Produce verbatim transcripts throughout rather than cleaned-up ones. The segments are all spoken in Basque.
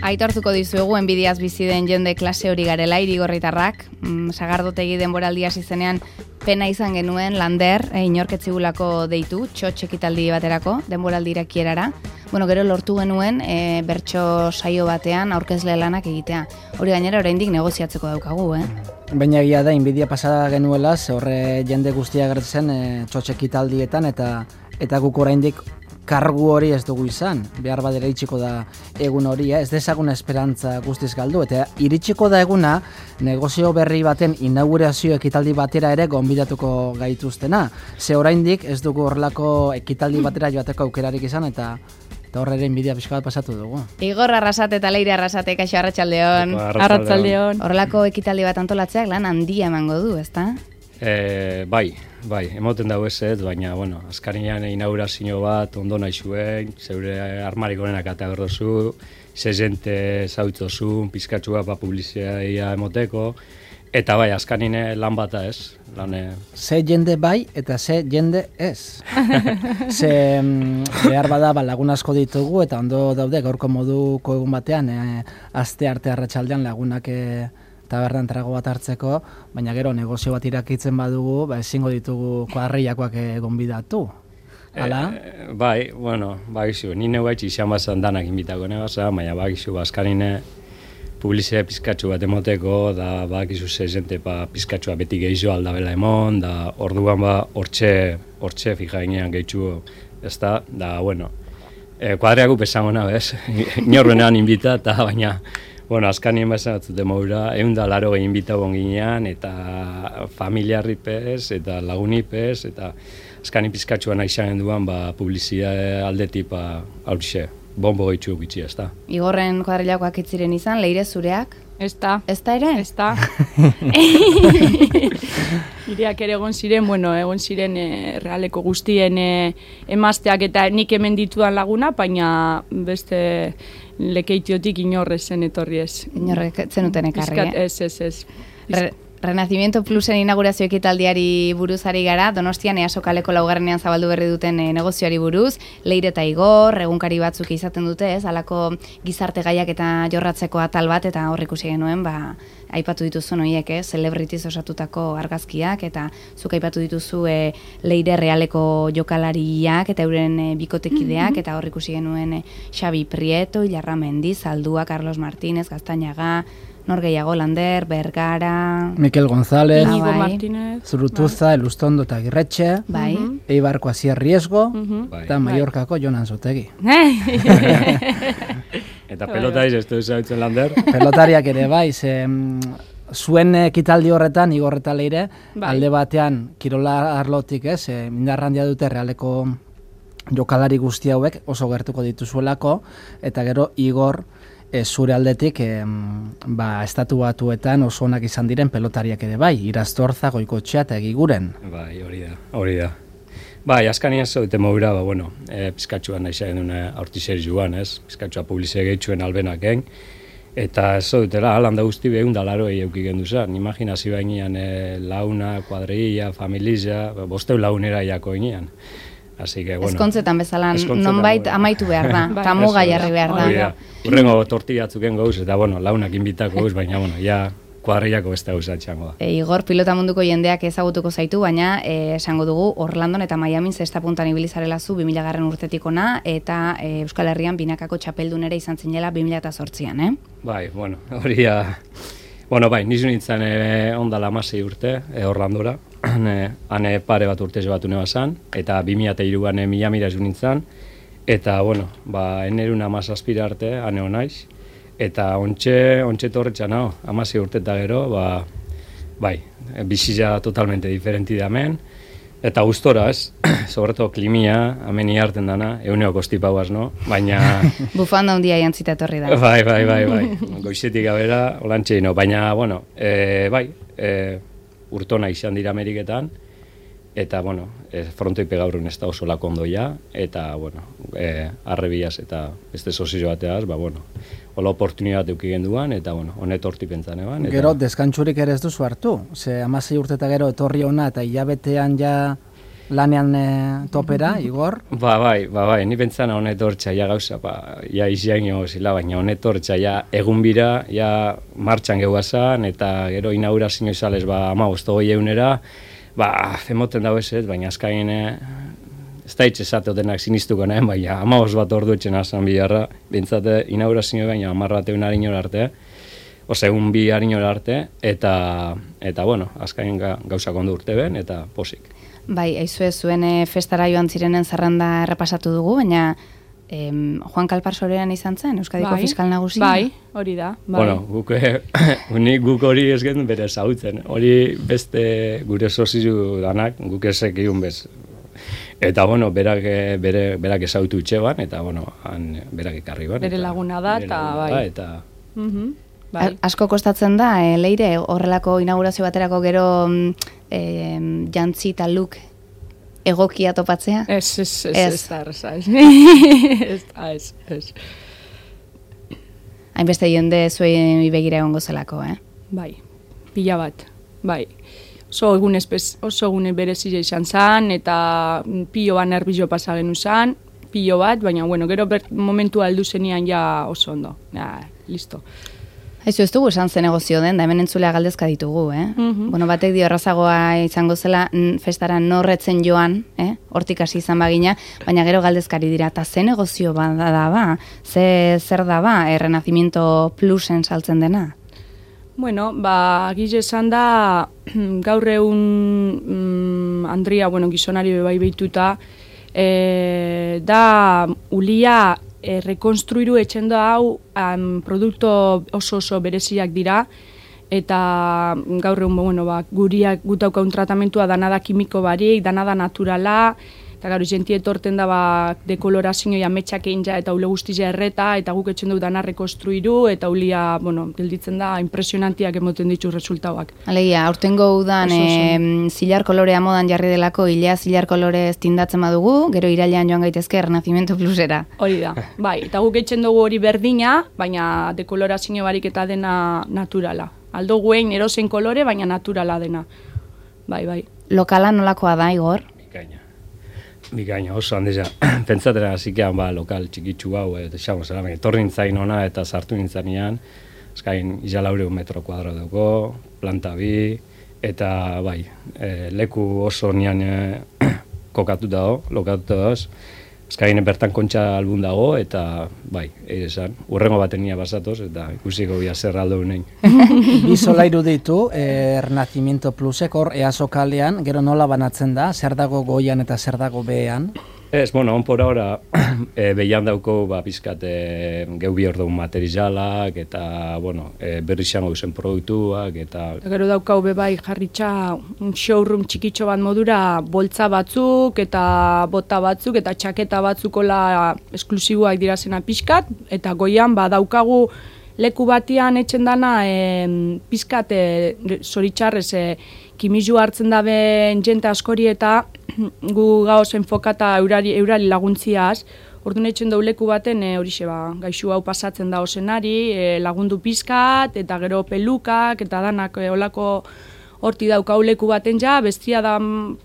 Aitortuko dizuegu enbidiaz bizi den jende klase hori garela Irigorritarrak. Mm, sagardotegi denboraldi hasi zenean pena izan genuen Lander, e, inorketzigulako deitu, txotx ekitaldi baterako, denboraldi irakierara. Bueno, gero lortu genuen e, bertso saio batean aurkezle lanak egitea. Hori gainera oraindik negoziatzeko daukagu, eh? Baina egia da, inbidia pasada genuela, ze horre jende guztia gertzen e, txotx ekitaldietan eta eta guk oraindik kargu hori ez dugu izan, behar badera iritsiko da egun hori, ez dezagun esperantza guztiz galdu, eta iritsiko da eguna negozio berri baten inaugurazio ekitaldi batera ere gonbidatuko gaituztena. Ze oraindik ez dugu horrelako ekitaldi batera joateko aukerarik izan, eta eta horre ere inbidia pixka bat pasatu dugu. Igor Arrasate eta Leire Arrasate, kaixo arratsaldeon. Arratsaldeon. Horrelako ekitaldi bat antolatzeak lan handia emango du, ezta? E, bai, bai, emoten dago ez ez, baina, bueno, azkarinean inaugurazio bat, ondo nahi zuen, zeure armarik honenak eta berdozu, ze jente zautzozun, pizkatxua ba publizia emoteko, eta bai, azkarine lan bata ez. Lan, e... Ze jende bai eta ze jende ez. Ze behar bada ba, lagun asko ditugu eta ondo daude gaurko moduko egun batean, e, aste arte arratsaldean lagunak e, tabernan trago bat hartzeko, baina gero negozio bat irakitzen badugu, ba, ezingo ditugu kuadrillakoak gonbidatu. Hala? E, bai, bueno, bagizu, ni neu baitzi izan bazan danak inbitako nebasa, baina bagizu, bazkarine publizia pizkatxu bat emoteko, da bagizu ze jente pa pizkatxua beti gehizo aldabela emon, da orduan ba hortxe, hortxe fija ginean gehitxu, ez da, da, bueno, e, kuadriaku pesango nabez, inorbenean inbita, eta baina, bueno, azkanien bazan batzute maura, egun da laro gehin bitagon ginean, eta familiarripez, eta lagunipez, eta azkanin pizkatxuan aixan duan, ba, publizia aldetik, ba, hauxe, bombo gaitxu gitxi, ez da. Igorren kuadrillakoak itziren izan, Leire zureak? Ez da. Ez da ere? Ez da. Ireak ere egon ziren, bueno, egon ziren e, realeko guztien e, emazteak eta nik hemen ditudan laguna, baina beste lekeitiotik inorrez zen etorri ez. Inorrek zenuten ekarri, eh? Ez, ez, ez. Re Renacimiento Plusen inaugurazio ekitaldiari buruz ari gara, Donostian Easo kaleko laugarrenean zabaldu berri duten e, negozioari buruz, Leire eta Igor, egunkari batzuk izaten dute, ez, halako gizarte gaiak eta jorratzeko atal bat, eta hor ikusi genuen, ba, aipatu dituzu noiek, eh, celebrities osatutako argazkiak, eta zuk aipatu dituzu e, Leire realeko jokalariak, eta euren e, bikotekideak, mm-hmm. eta hor ikusi genuen e, Xabi Prieto, Ilarra Mendiz, Zaldua, Carlos Martínez, Gaztañaga, nor gehiago, Lander, Bergara... Mikel González, Inigo Martínez, Zurutuza, bai. Elustondo eta Girretxe, bai. uh-huh. Eibarko Asier Riesgo, uh-huh. eta Mallorcako Jonan Zotegi. Eta pelotaiz ez du zautzen Lander? Pelotariak ere, bai, ze... Zuen ekitaldi horretan, Igor eta Leire, bai. Alde batean, kirola arlotik, ez, e, mindarrandia dute realeko jokalari guzti hauek oso gertuko dituzuelako, eta gero Igor... E, zure aldetik e, ba, estatu batuetan oso onak izan diren pelotariak ere bai, Iraztorza, Goikotxea eta Egiguren. Bai, hori da, hori da. Bai, azkanian zaute maura, ba, bueno, e, pizkatxuan nahi zagen duna aurtizer joan, ez? Pizkatxua publizia gehitxuen albenaken, eta ez zautela, alanda guzti behun da laroi eukik gendu zan. Imaginazi bainean e, launa, kuadrilla, familia, bosteu launera jako inean. Así que, bueno, ezkontzetan bezala, nonbait amaitu behar da, eta muga jarri behar da. Urrengo tortillatzuken gauz, eta bueno, launak inbitako gauz, baina, bueno, ja kuadrillako beste gauz atxango da. E, Igor, pilota munduko jendeak ezagutuko zaitu, baina e, esango dugu Orlandon eta Miamin zesta puntan ibilizarela zu bi mila garren urtetik ona, eta e, Euskal Herrian binakako txapeldunera izan zinela bi mila zortzian, eh? Bai, bueno, hori ja... Bueno, bai, nizu nintzen e, ondala amasei urte, e, Orlandora, hane pare bat urte batu nebazan, eta bi mila hiruan Miamira zu nintzen, eta, bueno, ba, enerun amazazpira arte, hane honaiz, eta ontxe, ontxe torretxan hau, amasei urte eta gero, ba, bai, bizitza totalmente diferenti da hemen, eta gustora, ez, sobreto klimia, hemen iarten dana, euneo kostipauaz, no? Baina... Bufanda hundia jantzita etorri da. Bai, bai, bai, bai, goizetik abera, olantxe ino, baina, bueno, e, bai, e, urtona izan dira Ameriketan, eta, bueno, e, frontoipe gaurun ez da oso lako ondoia, eta, bueno, e, arrebiaz eta beste sozio bateaz, ba, bueno, hola oportunidad euki genduan, eta, bueno, honet horti pentsan eban. Eta... Gero, deskantxurik ere ez duzu hartu, ze amasei urte eta gero etorri ona, eta hilabetean ja lanean e, topera, Igor? Ba, bai, ba, bai, ni pentsana honet hortza, ja gauza, ba, ja izian jo zila, baina honet hortza, ja egun bira, ja martxan gehuazan, eta gero inaugurazio izalez, ba, ama goi egunera, ba, emoten dago ez ez, baina azkain, ez da hitz esateotenak sinistuko nahen, baina ama bat ordu etxen azan biharra, bintzate inaugurazio baina amarrate unari inor arte, Ose, egun bi harinora arte, eta, eta bueno, azkain gauza kondu urte ben, eta posik. Bai, aizue zuen e, festara joan zirenen zerrenda errepasatu dugu, baina em, Juan Kalparsorean izan zen, Euskadiko bai, fiskal nagusia? Bai, hori da. Bai. Bueno, guk, unik guk hori ez gen bere zautzen, hori beste gure sozizu danak, guk ezek egun bez. Eta, bueno, berak, bere, berak ezautu itxeban, eta, bueno, han berak ekarri ban. Bere laguna da, eta bai. Da, eta... Mhm. Bai. Asko kostatzen da, e, Leire, horrelako inaugurazio baterako gero e, jantzi eta look egokia topatzea? Ez, ez, ez, ez, da, ez, ez, ez, ez. Hainbeste jende zuen begira egongo zelako, eh? Bai, pila bat, bai. Oso egun espez, oso egun berezia izan zen, eta pilo bat nervizio pasa genu zen, pilo bat, baina, bueno, gero ber, momentu aldu zenian ja oso ondo, ja, listo. Aizu, ez dugu esan zen negozio den, da hemen entzulea galdezka ditugu, eh? Mhm. Bueno, batek dio errazagoa izango zela n, festara norretzen joan, eh? Hortik hasi izan bagina, baina gero galdezkari dira, eta ze negozio bada da ba? Ze, zer da ba, e, Renacimiento Plusen saltzen dena? Bueno, ba, gize esan da, gaur egun mm, Andria, bueno, gizonari bai behituta, e, da ulia e, rekonstruiru etxen da hau um, produkto oso oso bereziak dira, eta gaur egun, bueno, ba, guriak gutaukaun tratamentua dana da kimiko barik, dana da naturala, eta gaur jenti etorten da ba, dekolorazio ametsak egin ja, eta ule guztia erreta, eta guk etxen du dana rekonstruiru, eta ulia, bueno, gelditzen da, impresionantiak emoten ditu resultauak. Alegia, aurtengo udan e, zilar kolorea modan jarri delako, hilea zilar kolore tindatzen badugu, gero irailean joan gaitezke Renacimiento Plusera. Hori da, bai, eta guk etxen dugu hori berdina, baina dekolorazio barik eta dena naturala. Aldo guen erosen kolore, baina naturala dena. Bai, bai. Lokala nolakoa da, Igor? Bikaina. Bikaina, oso handeza. Pentsatera hasikean ba, lokal txikitsu hau, eta xamo zera, etorri nintzain ona eta sartu nintzanean, azkain izalaure metro kuadro dugu, planta bi, eta bai, e, leku oso nian e, kokatu dago, lokatu dago, azkain bertan kontxa albun dago, eta bai, ere esan, urrengo baten nia basatoz, eta ikusiko bia zer aldo unein. Bi solairu ditu, eh, Renacimiento Plusek, hor easo kalean, gero nola banatzen da, zer dago goian eta zer dago behean? Ez, bueno, onpora ora, e, behian dauko, ba, pizkat, e, geu bi orduan materialak, eta, bueno, e, berri xango zen produktuak, eta... Gero daukau bebai jarritxa un showroom txikitxo bat modura, boltza batzuk, eta bota batzuk, eta txaketa batzukola esklusiboak dirazena pixkat, eta goian, ba, daukagu leku batian etxen dana, e, pizkat, e, zoritxarrez, e, kimizu hartzen daben jente askori eta gu gauz enfokata eurari, eurari laguntziaz, orduan etxen dau leku baten e, horixe ba, gaixu hau pasatzen da osenari, e, lagundu pizkat, eta gero pelukak, eta danak e, olako horti daukau leku baten ja, bestia da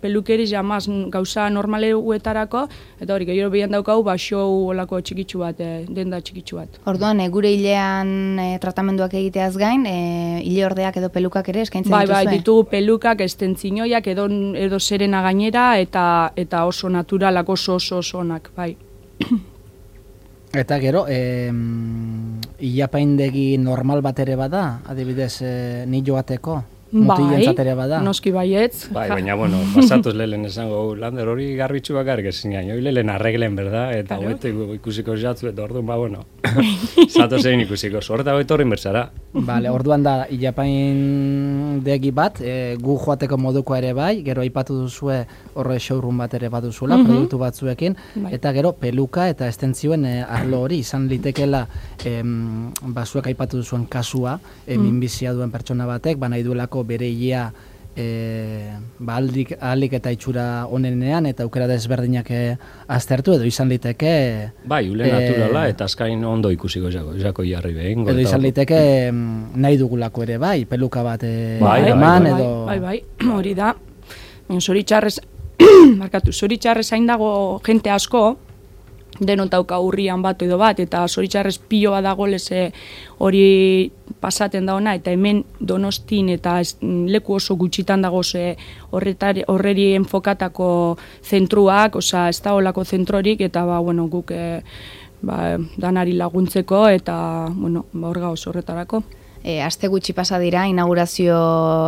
pelukeri jamaz gauza normaleuetarako, eta hori, gero behian daukau, ba, show olako txikitsu bat, e, denda txikitsu bat. Orduan, e, gure hilean e, tratamenduak egiteaz gain, e, hile ordeak edo pelukak ere eskaintzen bai, dituzue? Bai, ditugu pelukak, estentzinoiak, edo, edo serena gainera, eta eta oso naturalak, oso oso oso onak, bai. Eta gero, eh, ilapaindegi normal bat ere bada, adibidez, eh, ni joateko? Bai, ere bada. noski baietz. Bai, baina, bueno, pasatuz lehen esango, Lander hori garbitzu bakarrik ezin gain, hori lehen arreglen, berda, eta Claro. hobeto ikusiko jatzu, eta orduan, ba, bueno, zato zein ikusiko, zorta hobeto horren berzara. Vale, orduan da, ilapaindegi bat, e, gu joateko moduko ere bai, gero aipatu duzue horre showroom bat ere baduzula, Mhm. produktu batzuekin, Bai. eta gero peluka eta estentzioen e, arlo hori, izan litekela, em, basuek aipatu duzuen kasua, e, Mhm. minbizia duen pertsona batek, ba nahi duelako bere hilea e, ba aldik, ahalik eta itxura onenean, eta aukera desberdinak e, aztertu, edo izan liteke... Bai, ule e, naturala, eta azkain ondo ikusiko jako, jako jarri behin. Edo izan liteke em, nahi dugulako ere bai, peluka bat e, Bai, bai, eman, bai, edo... bai, bai, hori da. Zoritxarrez, markatu, zoritxarrez hain dago jente asko, denotauka urrian bat edo bat, eta zoritxarrez pioa dago leze hori pasaten da ona, eta hemen Donostin eta ez, leku oso gutxitan dago ze horretari, horreri enfokatako zentruak, osea, ez da olako zentrorik, eta ba, bueno, guk e, ba, danari laguntzeko, eta, bueno, ba, hor gauz horretarako. E, aste gutxi pasa dira, inaugurazio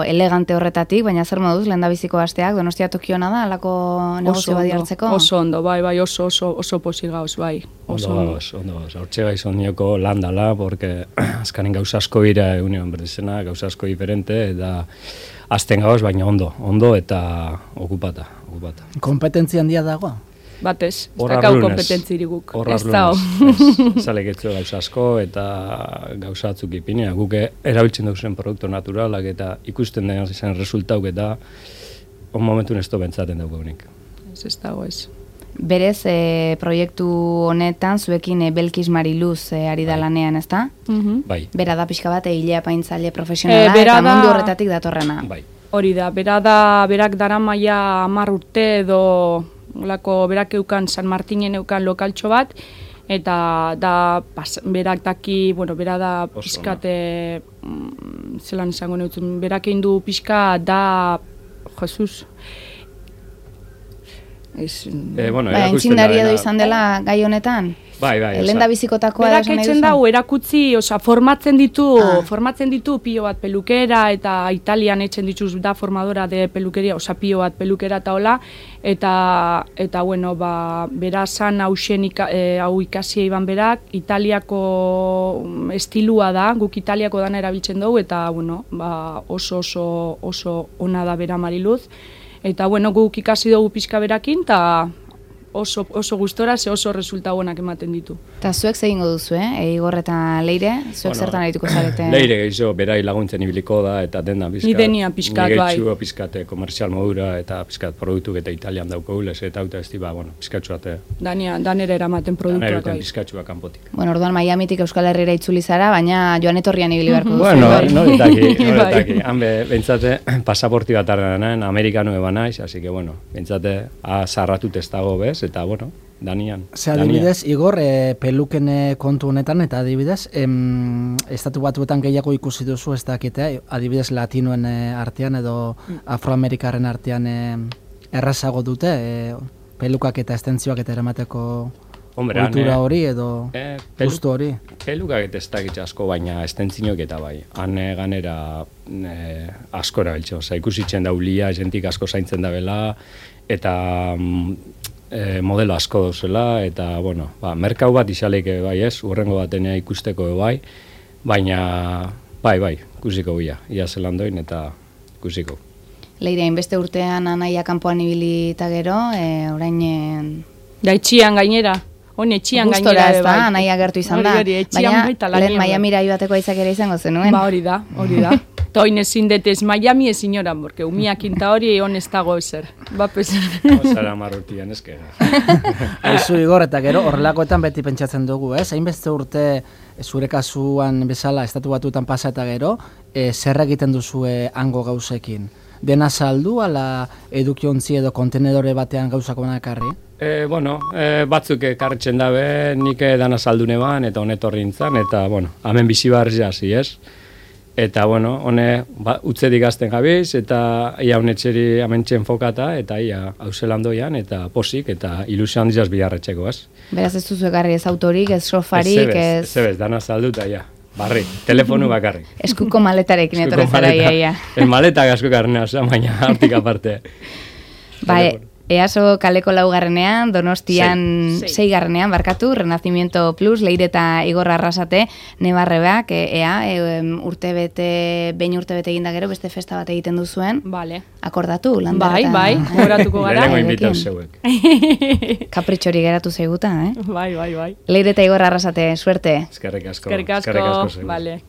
elegante horretatik, baina zer moduz, lehendabiziko asteak, Donostia Tokiona da, alako negozio badi hartzeko? Oso ondo, bai, bai, oso, oso, oso posi gauz, bai. Oso ondo gauz, ondo gauz. Hortxe gai zonioko lan dala, porque azkanen gauza asko bira egunean berdizena, gauza asko diferente, eta azten gauz, baina ondo, ondo eta okupata, okupata. Kompetentzia handia dago? Batez, ez dakau kompetentzirik guk. Ez da, zalek etzu gauza asko eta gauza atzuk ipinea. Guk erabiltzen duzen produktu naturalak eta ikusten den zen resultauk eta on momentun ez do bentsaten dugu unik. Ez ez dago ez. Berez, e, proiektu honetan zuekin e, Belkis Mariluz e, ari da lanean, ez da? Mm-hmm. Bai. Bera da pixka bat egilea paintzaile profesionala e, eta da... mundu horretatik datorrena. Bai. Hori da, bera da, berak dara maia hamar urte edo olako berak eukan San Martinen eukan lokaltxo bat, eta da pas, berak daki, bueno, bera da pixkate, mm, zelan izango neutzen, berak egin du pixka da, Jesus, Ez, e, bueno, ba, entzindari edo izan dela gai honetan? Bai, bai. Lenda bizikotakoa berak etzen dau, erakutzi, oza, formatzen ditu, ah. formatzen ditu pilo bat pelukera, eta Italian etzen dituz da formadora de pelukeria, oza, pilo bat pelukera eta hola, eta, eta bueno, ba, bera zan hausen ika, e, hau ikasia iban berak, Italiako estilua da, guk Italiako dana erabiltzen dugu, eta, bueno, ba, oso, oso, oso ona da bera Mariluz. Eta, bueno, guk ikasi dugu pixka berakin, eta oso, oso gustora, ze oso resulta honak ematen ditu. Eta zuek zegingo duzu, eh? Igor eta Leire, zuek bueno, zertan arituko zarete? Leire gehiago, berai laguntzen ibiliko da, eta denda pizkat. Ni denia pizkat, bai. Ni pizkate komerzial modura, eta pizkat produktuk eta Italian dauko gulez, eta auta ez diba, bueno, pizkatxuate. Dania, danera eramaten produktuak, bai. Danera pizkatxua kanpotik. Bueno, orduan Miamitik Euskal Herrira itzuli zara, baina joan etorrian ibili beharko duzu. Bueno, noretaki, noretaki. Hanbe, bentsate, pasaporti bat arrenan, amerikanu eba naiz, así que, bueno, bentsate, azarratut ez dago bez, eta, bueno, Danian. Ze adibidez, Igor, e, peluken kontu honetan, eta adibidez, em, estatu batuetan gehiago ikusi duzu, ez dakitea, adibidez latinoen e, artean edo afroamerikarren artean e, errazago dute, e, pelukak eta estentzioak eta eramateko kultura hori edo eh, pelu, gustu hori. Pelukak eta ez dakitza asko, baina estentzinok eta bai. Han e, ganera e, asko erabiltzen, oza, ikusitzen daulia, jentik asko zaintzen da bela, eta E, modelo asko dozela, eta, bueno, ba, merkau bat izaleik bai ez, urrengo batenea ikusteko bai, baina, bai, bai, ikusiko bia, ia zelandoin eta ikusiko. Leire, inbeste urtean anaia kanpoan ibili eta gero, e, orain... E... Da etxian gainera, hon etxian Gustora, gainera. Gustora, ez da, anaia gertu izan da, baina lehen Miamira ibateko aitzak ere izango zenuen. Ba hori da, hori da. Toin ezin detez Miami ezin oran, porque umiakin ta hori hon ez dago ezer. Bapes. Osara marrutian ezkera. Aizu Igor, eta gero horrelakoetan beti pentsatzen dugu, ez? Hainbeste urte zure kasuan bezala estatu batuetan pasa eta gero, e, zer egiten duzue hango gauzekin? Dena saldu, ala edukiontzi edo kontenedore batean gauzako nakarri? E, bueno, e, batzuk ekarritzen dabe, nik dana saldune ban, eta honetorri intzan, eta, bueno, hemen bizi barri jasi, ez? Eta, bueno, hone, ba, utzedik azten gabiz, eta ia honetxeri amentxen fokata, eta ia hauselandoian, eta posik, eta ilusio handizaz biharretxeko, ez? Beraz ez duzu ekarri ez autorik, ez sofarik, ez... Ez ebez, dana salduta, ja, barri, telefonu bakarrik. Eskuko maletarekin etorrezara, ia, ia. El maletak asko karnea, baina hartik aparte. Bai, Easo kaleko laugarrenean, Donostian seigarrenean, barkatu, Renacimiento Plus, Leire eta Igor Arrasate, nebarrebeak, ea, e, urtebete, behin urtebete eginda gero, beste festa bat egiten duzuen. Vale. Akordatu, lan bai, bai, goratuko gara. Lehenengo inbitau zeuek. Kapritxori geratu zeiguta, eh? Bai, bai, bai. Leire eta Igor Arrasate, suerte. Eskerrik asko. Eskerrik asko, vale.